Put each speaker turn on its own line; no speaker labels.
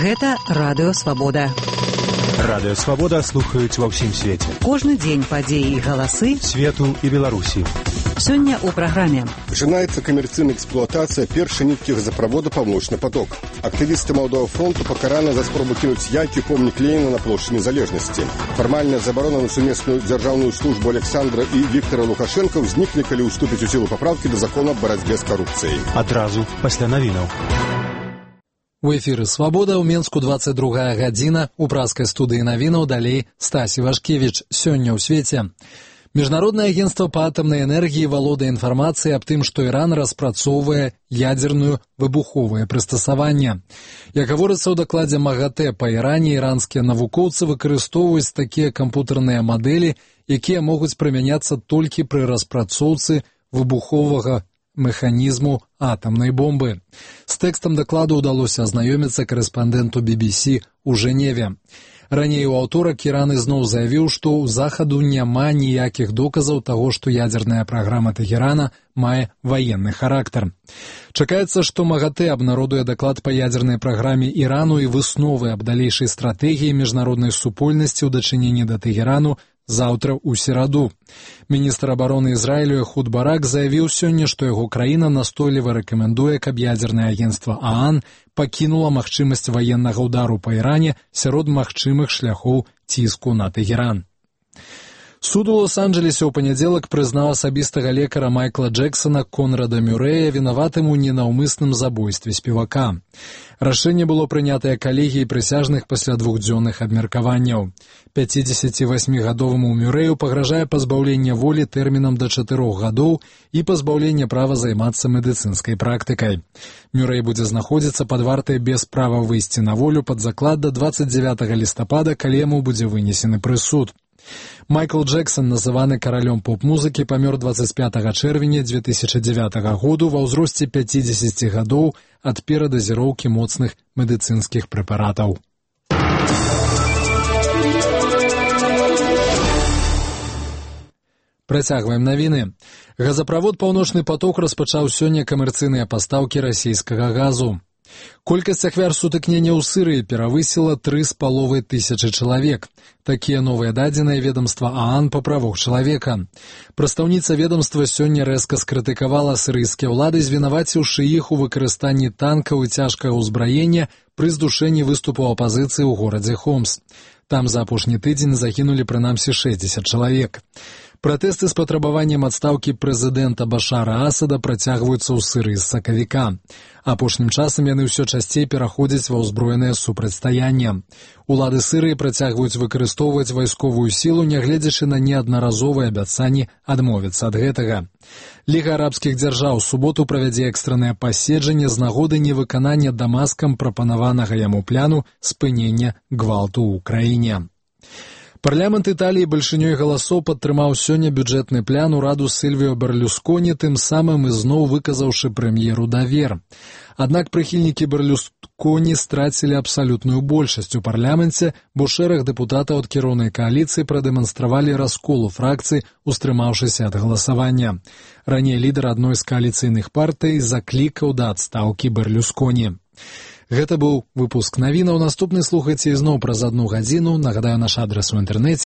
Гэта Радыё Свабода.
Радыё Свабода слухаюць ва ўсім свеце.
Кожны дзень падзеі і галасы
свету і Беларусі.
Сёння ў праграме.
Пачынаецца камерцыйная эксплуатацыя першай ніткі газаправода «Паўночны поток». Актывісты Малдового фронту пакараны за спробу кінуць яйкі помнік Леніна на плошчы Незалежнасці. Фармальная забарона на сумесную дзяржаўную службу Александра і Віктора Лукашенка ўзнікне, калі ўступіць у сілу папраўкі да закона аб барацьбе з карупцыяй.
Адразу пасля навінаў.
У эфіры «Свабода» ў Менску 22 гадзіна. У праскай студыі навінаў далей Стасі Вашкевіч. Сёння ў свеце. Міжнароднае агенцтва па атамнай энергіі валодае інфармацыяй аб тым, што Іран распрацоўвае ядзерную выбуховае прыстасаванне. Як гаворыцца ў дакладзе МАГАТЭ па Іране, іранскія навукоўцы выкарыстоўваюць такія кампутарныя мадэлі, якія могуць прымяняцца толькі пры распрацоўцы выбуховага механізму атамнай бомбы. З тэкстам дакладу ўдалося азнаёміцца карэспандэнту BBC у Жэневе. Раней у аўторак Іран ізноў заявіў, што ў захаду няма ніякіх доказаў таго, што ядзерная праграма Тэхерана мае ваенны характар. Чакаецца, што МАГАТЭ абнародуе даклад па ядзернай праграме Ірану і высновы аб далейшай стратэгіі міжнароднай супольнасці ў дачыненні да Тэхерану заўтра ў сераду. Міністр абароны Ізраілю Эхуд Барак заявіў сёння, што яго краіна настойліва рэкамендуе, каб ядзернае агенцтва ААН пакінула магчымасць ваеннага ўдару па Іране сярод магчымых шляхоў ціску на Тэхеран. Суд у Лос-Анджелесе ў панядзелак прызнаў асабістага лекара Майкла Джексона Конрада Мюрэя вінаватым у ненаўмысным забойстве спевака. Рашэнне было прынятае калегіяй прысяжных пасля двухдзённых абмеркаванняў. 58-гадоваму Мюрэю пагражае пазбаўленне волі тэрмінам да 4 гадоў і пазбаўленне права займацца медыцынскай практыкай. Мюрэй будзе знаходзіцца пад вартай без права выйсці на волю пад заклад да 29 лістапада, калі яму будзе вынесены прысуд. Майкл Джексон, называны каралём поп-музыкі, памёр 25 чэрвеня 2009 году ва ўзросце 50 гадоў ад перадазіроўкі моцных медыцынскіх прэпаратаў. Працягваем навіны. Газаправод «Паўночны поток» распачаў сёння камерцыйныя пастаўкі расійскага газу. Колькасць ахвяр сутыкнення ў Сырыі перавысіла 3500 чалавек. Такія новыя дадзеныя ведамства ААН па правах чалавека. Прадстаўніца ведамства сёння рэзка скрытыкавала сырыйскія ўлады, звінаваціўшы іх у выкарыстанні танкаў і цяжкага ўзбраення пры здушэнні выступу апазіцыі ў горадзе Хомс. Там за апошні тыдзень загінулі прынамсі 60 чалавек. Пратэсты з патрабаваннем адстаўкі прэзідэнта Башара Асада працягваюцца ў Сырыі з сакавіка. Апошнім часам яны ўсё часцей пераходзяць ва ўзброенае супрацьстаянне. Улады Сырыі працягваюць выкарыстоўваць вайсковую сілу, нягледзячы на неаднаразовыя абяцанні адмовіцца ад гэтага. Ліга арабскіх дзяржаў у суботу правядзе экстранае паседжанне з нагоды невыканання Дамаскам прапанаванага яму пляну спынення гвалту ў краіне. Парламент Італіі бальшынёй галасоў падтрымаў сёння бюджэтны плян ураду Сільвіо Берлюсконі, тым самым ізноў выказаўшы прэм'еру давер. Аднак прыхільнікі Берлюсконі страцілі абсалютную большасць у парламенце, бо шэраг дэпутатаў ад кіроўнай кааліцыі прадэманстравалі раскол у фракцыі, устрымаўшыся ад галасавання. Раней лідар адной з кааліцыйных партый заклікаў да адстаўкі Берлюсконі. Гэта быў выпуск навінаў. Наступны слухайце ізноў праз 1 гадзіну. Нагадаю, наш адрас у інтэрнэце